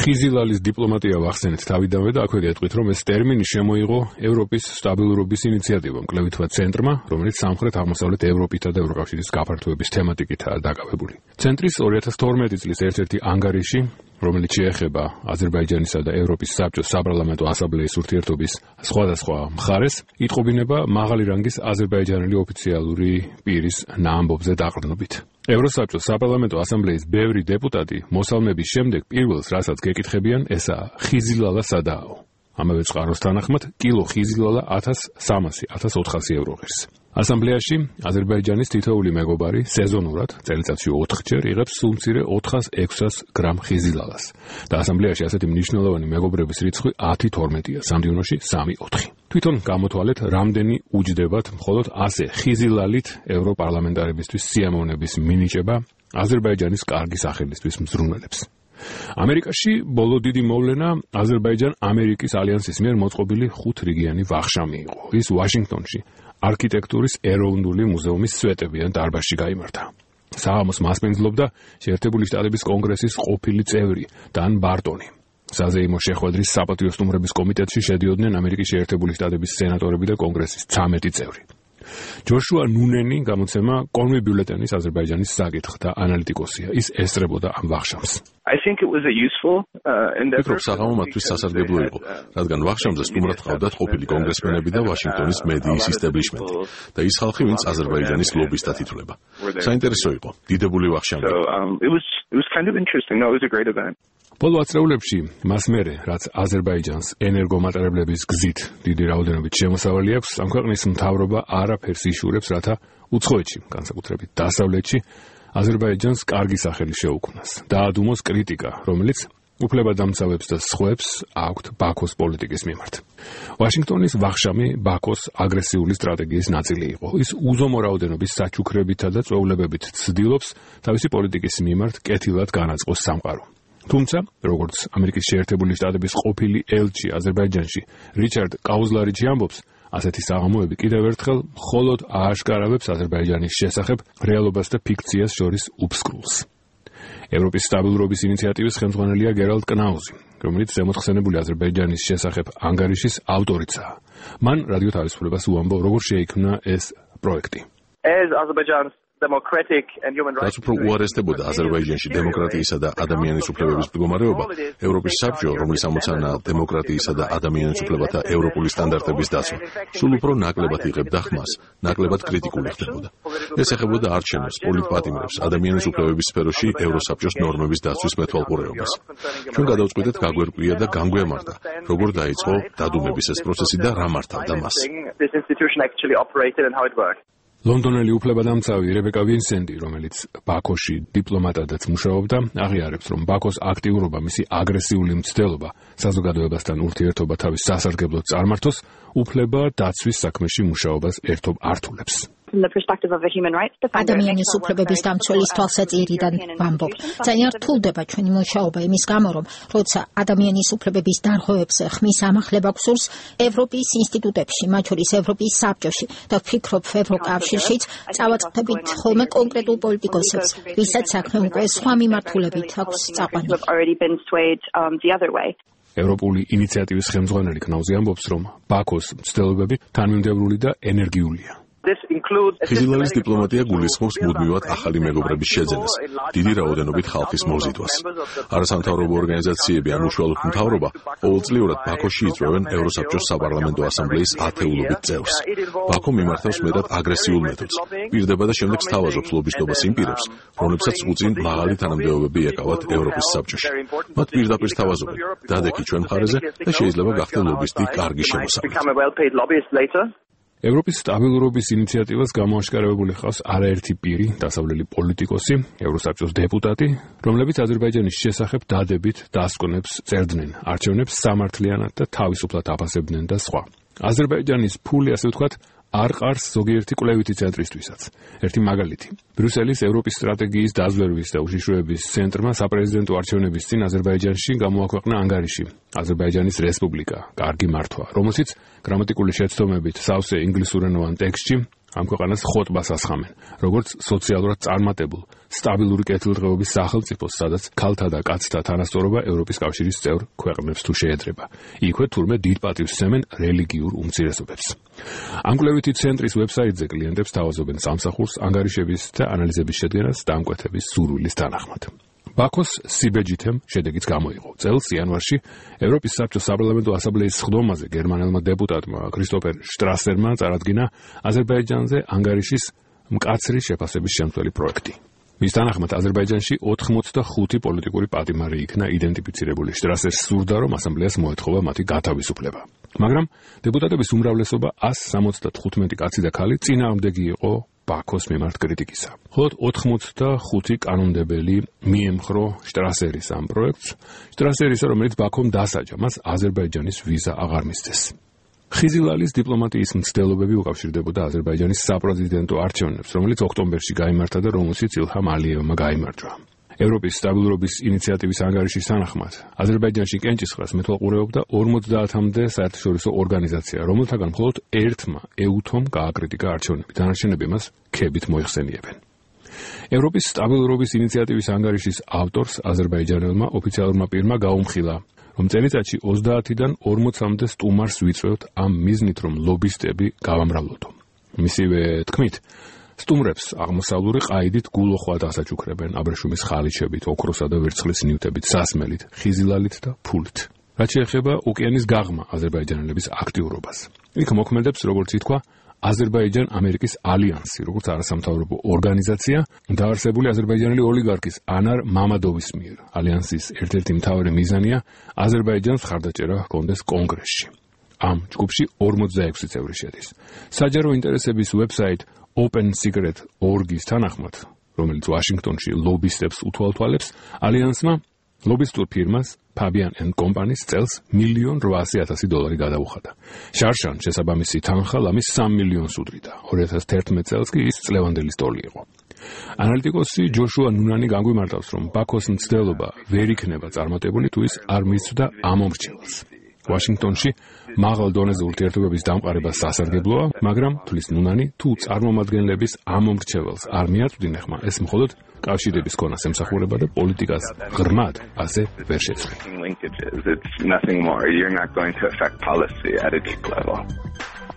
ხიზილალის დიპლომატია ვახსენეთ თავიდანვე და აქვე გეტყვით, რომ ეს ტერმინი შემოიღო ევროპის სტაბილურობის ინიციატივამ, კლებითმა ცენტრმა, რომელიც სამხრეთ-აღმოსავლეთ ევროპითა და ევროკავშირის გაფართოების თემატიკითაა დაკავებული. ცენტრის 2012 წლის ერთ-ერთი ანგარიში, რომელიც შეეხება აზერბაიჯანისა და ევროპის საბჭოს საპარლამენტო ასამბლეის ურთიერთობის სხვადასხვა მხარეს, იტყობინება მაღალი რანგის აზერბაიჯანელი ოფიციალური პირის ნაამბობზე დაყრდნობით. ევროსაბჭოს საპარლამენტო ასამბლეის ბევრი დეპუტატი მოსალმების შემდეგ პირველს, რასაც გეკითხებიან, ესაა ხიზილალა სადააო. ამავე წყაროს თანახმად, კილო ხიზილალა 1300-1400 евро ღირს. ასამბლეაში აზერბაიჯანის თითოეული მეგობარი სეზონურად წელიწადში 4 ჯერ იღებს სულ მცირე 400-600 გრამ ხიზილალას და ასამბლეაში ასეთი მნიშვნელოვანი მეგობრების რიცხვი 10-12-ია, სამდივნოში 3-4. თვითონ გამოთვალეთ, რამდენი უჯდებათ მხოლოდ ასე ხიზილალით ევროპარლამენტარებისთვის სიამოვნების მინიჭება აზერბაიჯანის კარგი სახელისთვის მზრუნველებს. ამერიკაში ბოლო დიდი მოვლენა აზერბაიჯან-ამერიკის ალიანსის მიერ მოწყობილი 5 რიგიანი ვახშამი იყო. ის ვაშინგტონში არქიტექტურის ეროვნული მუზეუმის სვეტებიან დარბაზში გაიმართა. საღამოს მასპინძლობდა შეერთებული შტატების კონგრესის ყოფილი წევრი დან ბარტონი. საზეიმო შეხვედრის საპატიო სტუმრების კომიტეტში შედიოდნენ ამერიკის შეერთებული შტატების სენატორები და კონგრესის 13 წევრი. ჯოშუა ნუნენი გამოცემა კონვი ბიულეტენის აზერბაიჯანის საკითხთა ანალიტიკოსია. ის ესწრებოდა ამ ვახშამს. ვფიქრობ, საღამო მათთვის სასარგებლო იყო, რადგან ვახშამზე სტუმრად ჰყავდათ ყოფილი კონგრესმენები და ვაშინგტონის მედიის ისტაბლიშმენტი და ის ხალხი, ვინც აზერბაიჯანის ლობისტად ითვლება. საინტერესო იყო, დიდებული ვახშამი. ბოლო ათწლეულებში მას მერე, რაც აზერბაიჯანს ენერგომატარებლების გზით დიდი რაოდენობით შემოსავალი აქვს, ამ ქვეყნის მთავრობა არაფერს იშურებს, რათა უცხოეთში, განსაკუთრებით დასავლეთში, აზერბაიჯანს კარგი სახელი შეუქმნას. დაადუმოს კრიტიკა, რომელიც უფლებადამცავებს და სხვებს აქვთ ბაქოს პოლიტიკის მიმართ. ვაშინგტონის ვახშამი ბაქოს აგრესიული სტრატეგიის ნაწილი იყო. ის უზომო რაოდენობის საჩუქრებითა და წვეულებებით ცდილობს თავისი პოლიტიკის მიმართ კეთილად განაწყოს სამყარო. თუმცა, როგორც ამერიკის შეერთებული შტატების ყოფილი ელჩი აზერბაიჯანში რიჩარდ კაუზლარიჩი ამბობს, ასეთი საღამოები კიდევ ერთხელ მხოლოდ ააშკარავებს აზერბაიჯანის შესახებ რეალობას და ფიქციას შორის უფსკრულს. ევროპის სტაბილურობის ინიციატივის ხელმძღვანელია გერალდ კნაუზი, რომელიც ზემოთხსენებული აზერბაიჯანის შესახებ ანგარიშის ავტორიცაა. მან რადიო თავისუფლებას უამბო, როგორ შეიქმნა ეს პროექტი. რაც უფრო უარესდებოდა აზერბაიჯანში დემოკრატიისა და ადამიანის უფლებების მდგომარეობა, ევროპის საბჭო, რომლის ამოცანაა დემოკრატიისა და ადამიანის უფლებათა ევროპული სტანდარტების დაცვა, სულ უფრო ნაკლებად იღებდა ხმას, ნაკლებად კრიტიკული ხდებოდა. ეს ეხებოდა არჩევნებს, პოლიტპატიმრებს, ადამიანის უფლებების სფეროში ევროსაბჭოს ნორმების დაცვის მეთვალყურეობას. ჩვენ გადავწყვიტეთ გაგვერკვია და განგვემართა, როგორ დაიწყო დადუმების ეს პროცესი და რა მართავდა მას. ლონდონელი უფლებადამცავი რებეკა ვინსენტი, რომელიც ბაქოში დიპლომატადაც მუშაობდა, აღიარებს, რომ ბაქოს აქტიურობა, მისი აგრესიული მცდელობა საზოგადოებასთან ურთიერთობა თავის სასარგებლოდ წარმართოს, უფლება დაცვის საქმეში მუშაობას ერთობ ართულებს. ადამიანის უფლებების დამცველის თვალსაჩინიდან ვამბობ. ძალიან რთულდება ჩვენი მუშაობა იმის გამო, რომ როცა ადამიანის უფლებების დარღვევებზე ხმის ამახლება გსურს ევროპის ინსტიტუტებში, მათ შორის ევროპის საბჭოში და ვფიქრობ ევროკავშირშიც წავაწყდებით ხოლმე კონკრეტულ პოლიტიკოსებს, ვისაც საქმე უკვე სხვა მიმართულებით აქვს წაყვანილი. ევროპული ინიციატივის ხელმძღვანელი კნაუზი ამბობს, რომ ბაქოს მცდელობები თანმიმდევრული და ენერგიულია. ხიზილალის დიპლომატია გულისხმობს მუდმივად ახალი მეგობრების შეძენას, დიდი რაოდენობით ხალხის მოზიდვას. არასამთავრობო ორგანიზაციები ან უშუალოდ მთავრობა ყოველწლიურად ბაქოში იწვევენ ევროსაბჭოს საპარლამენტო ასამბლეის ათეულობით წევრს. ბაქო მიმართავს მეტად აგრესიულ მეთოდს, პირდება და შემდეგ სთავაზობს ლობისტობას იმ პირებს, რომლებსაც უწინ მაღალი თანამდებობები ეკავათ ევროპის საბჭოში. მათ პირდაპირ სთავაზობენ, დადექი ჩვენ მხარეზე და შეიძლება გახდე ლობისტი კარგი შემოსავლით. ევროპის სტაბილურობის ინიციატივას გამოაშკარავებული ჰყავს არაერთი პირი, დასავლელი პოლიტიკოსი, ევროსაბჭოს დეპუტატი, რომლებიც აზერბაიჯანის შესახებ დადებით დასკვნებს წერდნენ, არჩევნებს სამართლიანად და თავისუფლად აფასებდნენ და სხვა. აზერბაიჯანის ფული, ასე ვთქვათ, არ ყარს ზოგიერთი კვლევითი ცენტრისთვისაც. ერთი მაგალითი. ბრიუსელის ევროპის სტრატეგიის დაზვერვის და უშიშროების ცენტრმა საპრეზიდენტო არჩევნების წინ აზერბაიჯანში გამოაქვეყნა ანგარიში აზერბაიჯანის რესპუბლიკა, კარგი მართვა, რომელშიც გრამატიკული შეცდომებით სავსე ინგლისურენოვან ტექსტში ამ ქვეყანას ხოტბას ასხამენ, როგორც სოციალურად წარმატებულ, სტაბილური კეთილდღეობის სახელმწიფოს, სადაც ქალთა და კაცთა თანასწორობა ევროპის კავშირის წევრ ქვეყნებს თუ შეედრება. იქვე თურმე დიდ პატივს სცემენ რელიგიურ უმცირესობებს. ამ კვლევითი ცენტრის ვებსაიტზე კლიენტებს თავაზობენ სამსახურს, ანგარიშების და ანალიზების შედგენას დამკვეთების სურვილის თანახმად. ბაქოს სიბეჯითემ შედეგიც გამოიღო. წელს იანვარში ევროპის საბჭოს საპარლამენტო ასამბლეის სხდომაზე გერმანელმა დეპუტატმა კრისტოფერ შტრასერმა წარადგინა აზერბაიჯანზე ანგარიშის მკაცრი შეფასების შემცველი პროექტი. მის თანახმად აზერბაიჯანში 85 პოლიტიკური პატიმარი იქნა იდენტიფიცირებული. შტრასერს სურდა, რომ ასამბლეას მოეთხოვა მათი გათავისუფლება. მაგრამ დეპუტატების უმრავლესობა 175 კაცი და ქალი წინააღმდეგი იყო ბაქოს მიმართ კრიტიკისა. ხოლო 85 კანონმდებელი მიემხრო შტრასერის ამ პროექტს, შტრასერისა, რომელიც ბაქომ დასაჯა, მას აზერბაიჯანის ვიზა აღარ მისცეს. ხიზილალის დიპლომატიის მცდელობები უკავშირდებოდა აზერბაიჯანის საპრეზიდენტო არჩევნებს, რომელიც ოქტომბერში გაიმართა და რომელშიც ილჰამ ალიევმა გაიმარჯვა. ევროპის სტაბილურობის ინიციატივის ანგარიშის თანახმად, აზერბაიჯანში კენჭისყრას მეთვალყურეობდა 50-მდე საერთაშორისო ორგანიზაცია, რომელთაგან მხოლოდ ერთმა ეუთომ გააკრიტიკა არჩევნები, დანარჩენები მას ქებით მოიხსენიებენ. ევროპის სტაბილურობის ინიციატივის ანგარიშის ავტორს აზერბაიჯანელმა ოფიციალურმა პირმა გაუმხილა, რომ წელიწადში 30-დან 40-მდე სტუმარს ვიწვევთ ამ მიზნით, რომ ლობისტები გავამრავლოდო. მისივე თქმით, სტუმრებს აღმოსავლური ყაიდით გულოხვად ასაჩუქრებენ, აბრეშუმის ხალიჩებით, ოქროსა და ვერცხლის ნივთებით, სასმელით, ხიზილალით და ფულით. რაც შეეხება ოკეანის გაღმა აზერბაიჯანელების აქტიურობას. იქ მოქმედებს, როგორც ითქვა, აზერბაიჯან-ამერიკის ალიანსი, როგორც არასამთავრობო ორგანიზაცია, დაარსებული აზერბაიჯანელი ოლიგარქის ანარ მამადოვის მიერ. ალიანსის ერთ-ერთი მთავარი მიზანია აზერბაიჯანს ხარდაჭერა ჰქონდეს კონგრესში. ამ ჯგუფში 46 წევრი შედის. საჯარო ინტერესების ვებსაიტ OpenSecret.org-ის თანახმად, რომელიც ვაშინგტონში ლობისტებს უთვალთვალებს, ალიანსმა ლობისტურ ფირმას Fabian & Company-ს წელს $1,800,000 გადაუხადა. შარშან შესაბამისი თანხა ლამის $3 მილიონს უდრიდა. 2011 წელს კი ის წლევანდელი სტოლი იყო. ანალიტიკოსი ჯოშუა ნუნანი განგვიმარტავს, რომ ბაქოს მცდელობა ვერ იქნება წარმატებული, თუ ის არ მისცდა ამომრჩეველს. ვაშინგტონში მაღალ დონეზე ურთიერთობების დამყარება სასარგებლოა, მაგრამ თulis ნუნანი, თუ წარმომადგენლების ამომრჩეველს არ მიაწვდინე ხმა, ეს მხოლოდ კავშირების ქონას ემსახურება და პოლიტიკას ღრმად ასე ვერ შეცვლი.